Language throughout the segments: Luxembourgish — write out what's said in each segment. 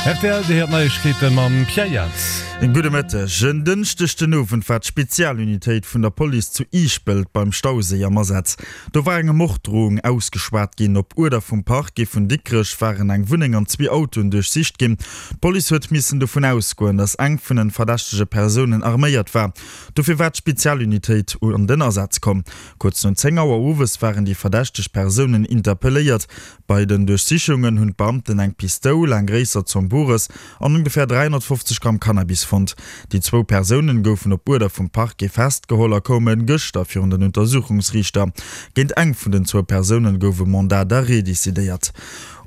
Rtl, Dir héiert d'Neiegkeete mam Pierre Jans. Gudde Mëtteg. En Dënschdeg den Owend war d'Spezialunitéit vun der Police zu Iischpelt beim Stauséi am Asaz. Do war enge Morddrohung ausgeschwat ginn. Op Uerder vum Parquet vun Dikrech waren eng Wunneng an zwee Autoen duerchsicht ginn. D'Police huet missen dovun ausgoen, datt eng vun den verdächtege Persounen arméiert war. Dofir war d'Spezialunitéit an den Asaz komm. Kuerz no 10 Auer owes waren déi verdächteg Persounen interpelléiert. Bei den Duerchsichungen hunn d'Beamten eng Pistoul, eng gréisser Zomm Bores an ongeféier 350 Gramm Cannabis fonnt. Déi zwou Persounen goufen op Uerder vum Parquet festgeholl a koume gëschter virun den Untersuchungsriichter. Géint eng vun den zwou Persounen gouf e Mandat d'arrêt decidéiert.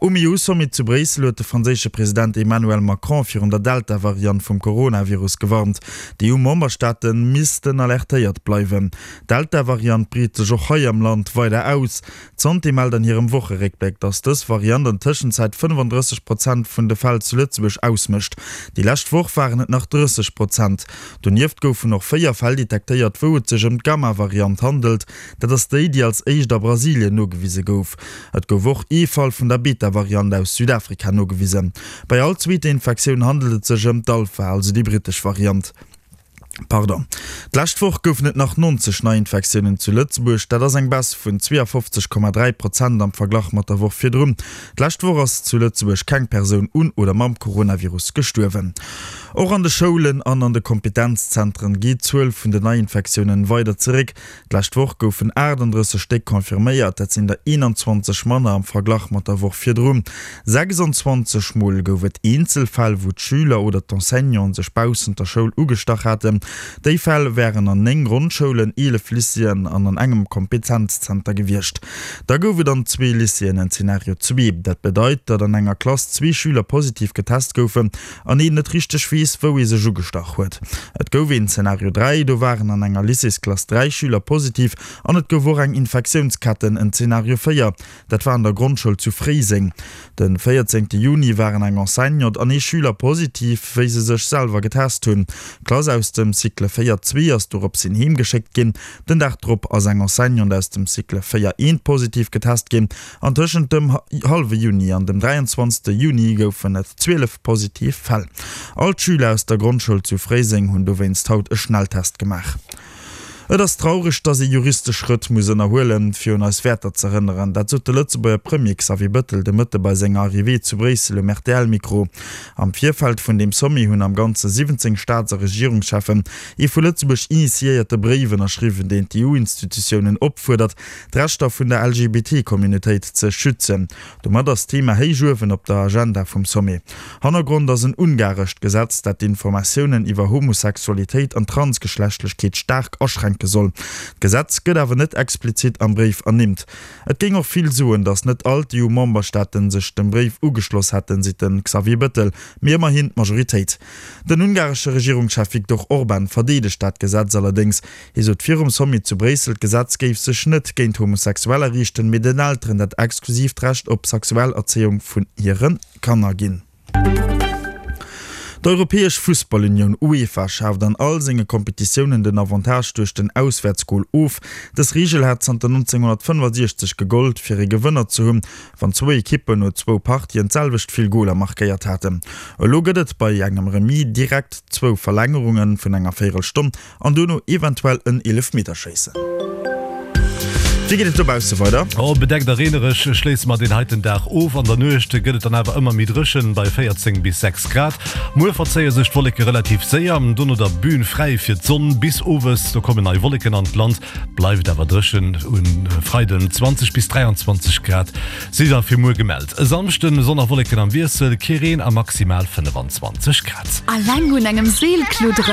Um EU-Sommet zu Bréissel huet de franséische President Emmanuel Macron virun der Delta-Variant vum Coronavirus gewarnt. D'EU-Memberstaate missten alertéiert bleiwen. D'Delta-Variant breet sech och hei am Land weider aus. D'Santé mellt an hirem Wocheréckbléck, datt dës Variant an Tëschenzäit 35 Prozent vun de Fäll zu Lëtzebuerg ausmécht. Déi lescht Woch waren et nach 30 Prozent. Donieft goufen och 4 Fäll detektéiert, wou et sech ëm d'Gamma-Variant handelt. Dat ass déi, déi als éischt a Brasilien nogewise gouf. Et gouf och ee Fall vun der Beta-Variant aus Südafrika nogewisen. Bei all zweeter Infektioun handelt et sech ëm d'Alpha, also déi brittesch Variant. Pardon. D'lescht Woch goufen et nach 90 Neiinfektiounen zu Lëtzebuerg. Dat ass eng Baisse vun 52,3 Prozent am Verglach mat der Woch virdrun. D'lescht Woch ass zu Lëtzebuerg keng Persoun un oder mam Coronavirus gestuerwen. Och an de Schoulen an an de Kompetenzzentren geet d'Zuel vun den Neiinfektiounen weider zeréck. D'lescht Woch goufen 38 Stéck confirméiert, dat sinn der 21 manner am Verglach mat der Woch virdrun. 26 Mol gouf et Eenzelfäll, wou d'Schüler oder d'Enseignanten sech baussent der Schoul ugestach haten. Déi Fäll wären an 9 Grondschoulen, 11 Lycéeën an an engem Kompetenzzenter gewiescht. Da gouf et an zwee Lycéeën en Zenario 2. Dat bedeit, datt an enger Klass zwee Schüler positiv getest goufen an een net richteg weess, wou ee sech ugestach huet. Et gouf een Zenario 3, do waren an enger Lycéesklass 3 Schüler positiv an et gouf och eng Infektiounsketten. En Zenario 4, dat war an der Grondschoul zu Fréiseng. De 14 Juni waren eng Enseignante an ee Schüler positiv, wéi se sech selwer getest hunn. D'Klass aus dem Cycle 4 zwee ass doropshin heemgeschéckt ginn. Den Dag drop ass eng Enseignante aus dem Cycle 4 eent positiv getest ginn. An tëschent dem hallwe Juni an dem 23. Juni goufen et 12 positiv Fäll. All d'Schüler aus der Grondschoul zu Fréiseng hunn dowéinst haut e Schnelltest gemaach. Et ass traureg, datt ee juristesch Schrëtt muss ënnerhuelen, fir un eis Wäerter z'erënneren. Dat sot de Lëtzebuerger Premier Xavier Bëttel de Mëtte bei senger Arrivée zu Bréissel um RTL-Mikro. Am Virfeld vun deem Sommet hunn am Ganze 17 Staats a Regierungscheffen ee vu Lëtzebuerg initiéierte Bréif ënnerschriwwen, deen d'EU-Institutiounen opfuerdert, d'Rechter vun der LGBT-Communautéit ze schützen. Domat ass d'Thema héich uewen op der Agenda vum Sommet. Hannergrond ass en ungarescht Gesetz, dat d'Informatiounen iwwer Homosexualitéit an Transgeschlechtlechkeet staark aschränke soll. D'Gesetz gëtt awer net explizit am Bréif ernimmt. Et géing och vill soen, datt net all d'EU-Memberstaaten sech dem Bréif ugeschloss hätten, seet de Xavier Bëttel, mee ëmmerhin d'Majoritéit. Den ungaresche Regierungschef Viktor Orban verdeedegt dat Gesetz allerdéngs. Hie sot virum Sommet zu Bréissel, d'Gesetz géif sech net géint Homosexueller riichten, mee den Elteren dat exklusiivt Recht op Sexuellerzéiung vun hire Kanner ginn. D'Europäesch Fussballunioun, UEFA, schaaft an all senge Kompetitiounen den Avantage duerch den Auswäertsgol of. Dës Reegel hat zanter 1965 gegollt, fir ee Gewënner ze hunn, wann zwou Ekippen no zwou Partien d'selwecht vill Goler markéiert haten. Elo gëtt et bei engem Remis direkt zwou Verlängerunge vun enger Véierelstonn An duerno eventuell en Eelefmeterschéissen. Wéi geet et dobausse weider? Oh, bedeckt a reenereg schléisse mer deen heiten Dag of. An der Nuecht gëtt et dann awer ëmmer méi dréchen, bei 14 bis 6 Grad. Muer verzéie sech d'Wolleke relativ séier, dono da Bühn fräi fir d'Sonn bis owes. Do kommen nei Wolleken an d'Land, bleift awer dréchen. Um Freiden 20 bis 23 Grad si da fir muer gemellt. E Samschden Sonn a Wolleken am Wiessel, kee Reen a maximal 25 Grad. Alleng un engem Seel kludderen.